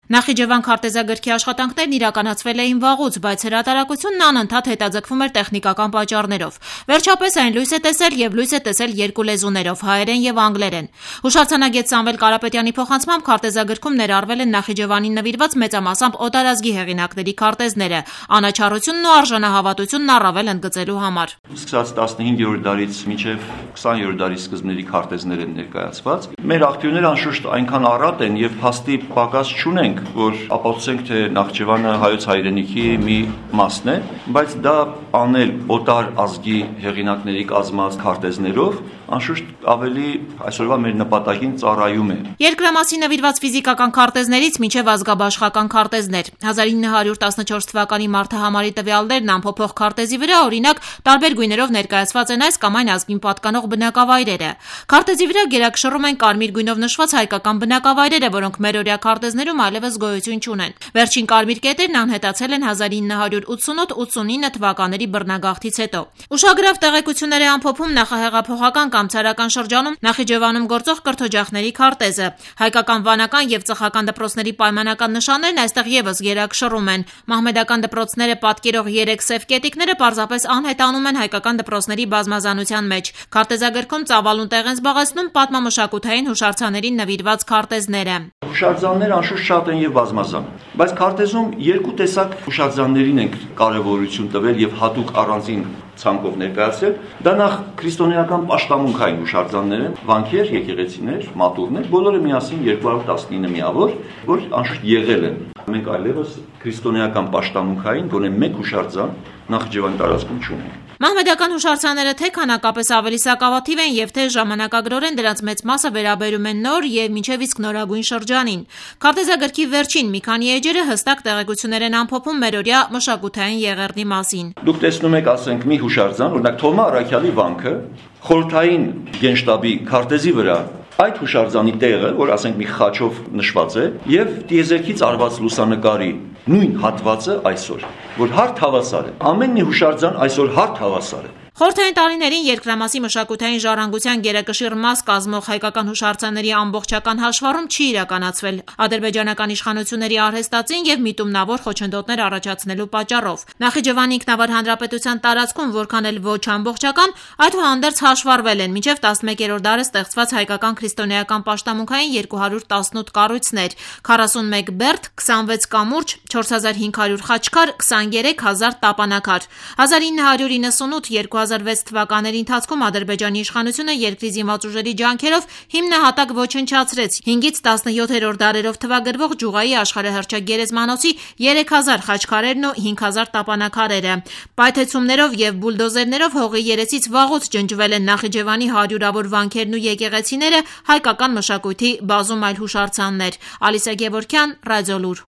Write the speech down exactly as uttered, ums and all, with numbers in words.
Նախիջևան քարտեզագրքի աշխատանքներն իրականացվել էին վաղուց, բայց հրատարակությունն անընդհատ հետաձգվում էր տեխնիկական պատճառներով։ Վերջապես այն լույս է տեսել եւ լույս է տեսել երկու լեզուներով՝ հայերեն եւ անգլերեն։ Հուշարձանագետ Սամվել Կարապետյանի փոխանցմամբ քարտեզագրքում ներառվել են Նախիջևանին նվիրված մեծամասամբ օտարազգի հեղինակների քարտեզները, անաչառությունն ու արժանահավատությունն առավել ընդգծելու համար։ Սկսած տասնհինգերորդ դարից մինչև քսաներորդ դարի սկզբների քարտեզներ են ներկայացված։ Մեր աղբյուրները անշուշտ այնքան առատ են եւ փաստի պակաս չունենք, որ ապացուցենք, թե Նախիջևանը հայոց հայրենիքի մի մասն է, բայց դա անել օտար ազգի հեղինակների կազմած քարտեզներով անշուշտ ավելի այսօրվա մեր նպատակին ծառայում է։ Երկրամասի նվիրված ֆիզիկական քարտեզներից մինչև ազգաբաշխական քարտեզներ։ հազար ինը հարյուր տասնչորս թվականի մարտահամարի տվյալներն ամփոփող քարտեզի վրա, օրինակ, տարբեր գույներով ներկայացված են այս կամ այն ազգին պատկանող բնակավայրերը։ Քարտեզի վրա գերակշռում են կարմիր գույնով նշված հայկական բնակավայրերը, որոնք մերօրյա քարտեզներում այլևս գոյություն չունեն։ Վերջին կարմիր կետերն անհետացել են հազար ինը հարյուր ութսունութ ութսունինը թվականների բռնագաղթից հետո։ Ուշագրավ տեղեկություններ է ամփոփում նախահեղափոխական կամ ցարական շրջանում Նախիջևանում գործող կրթօջախների քարտեզը։ Հայկական վանական եւ ծխական դպրոցների պայմանական նշաններն այստեղ եւս գերակշռում են։ Մահմեդական դպրոցները պատկերող երեք սև կետիկները պարզապես անհետանում են հայկական դպրոցների բազմազանության մեջ։ Քարտեզագրքում ծավալուն տեղ են զբաղեցնում պատմամշակութային հուշարձաններին նվիրված քարտեզները։ Հուշարձանները անշուշտ շատ են եւ բազմազան, բայց քարտեզում երկու տեսակ հուշարձաններին ենք կարեւորություն տվել եւ հատուկ առանձին ցանկով ներկայացրել։ Դա նախ քրիստոնեական պաշտամունքային հուշարձաններ են, վանքեր, եկեղեցիներ, մատուռներ, բոլորը միասին երկու հարյուր տասնինը միավոր, որ անշուշտ եղել են։ Մենք այլևս քրիստոնեական պաշտամունքային գոնե մեկ հուշարձան Նախիջևանի տարածքում չունենք։ Մահմեդական հուշարձանները թե քանակապես ավելի սակավաթիվ են եւ թե ժամանակագրորեն դրանց մեծ մասը վերաբերում են նոր եւ մինչեւ իսկ նորագույն շրջանին։ Քարտեզագրքի վերջին մի քանի էջերը հստակ տեղեկություններ են ամփոփում մերօրյա մշակութային եղերնի մասին։ Դուք տեսնում եք, ասենք, մի հուշարձան, օրինակ Թոմա Արաքյալի վանքը, խորհրդային գենշտաբի քարտեզի վրա այդ հուշարձանի տեղը, որ ասենք մի խաչով նշված է, եւ տիեզերքից արված լուսանկարի նույն հատվածը այսօր, որ հարթ հավասար է։ Ամեն մի հուշարձան այսօր հարթ հավասար է։ Խորհրդային տարիներին երկրամասի մշակութային ժառանգության գերակշիռ մաս կազմող հայկական հուշարձանների ամբողջական հաշվառում չի իրականացվել ադրբեջանական իշխանությունների արհեստածին եւ միտումնավոր խոչընդոտներ առաջացնելու պատճառով։ Նախիջևանի ինքնավար հանրապետության տարածքում որքան էլ ոչ ամբողջական, այդուհանդերձ հաշվառվել են մինչեւ տասնմեկերորդ դարը ստեղծված հայկական քրիստոնեական պաշտամունքային երկու հարյուր տասնութ կառույցներ, քառասունմեկ բերդ, քսանվեց կամուրջ, չորս հազար հինգ հարյուր խաչքար, քսաներեք հազար տապանակար։ հազար ինը հարյուր իննսունութ երկու հազար վեց թվականների ընթացքում Ադրբեջանի իշխանությունը երկրի զինված ուժերի ջանքերով հիմնահատակ ոչնչացրեց հինգից տասնյոթերորդ դարերով թվագրվող Ջուղայի աշխարհահռչակ գերեզմանոցի երեք հազար խաչքարերն ու հինգ հազար տապանակարերը։ Պայթեցումներով եւ բուլդոզերներով հողի երեսից վաղուց ջնջվել են Նախիջևանի հարյուրավոր վանքերն ու եկեղեցիները, հայկական մշակույթի բազում այլ հուշարձաններ։ Ալիսա Գևորգյան, Ռադիոլուր։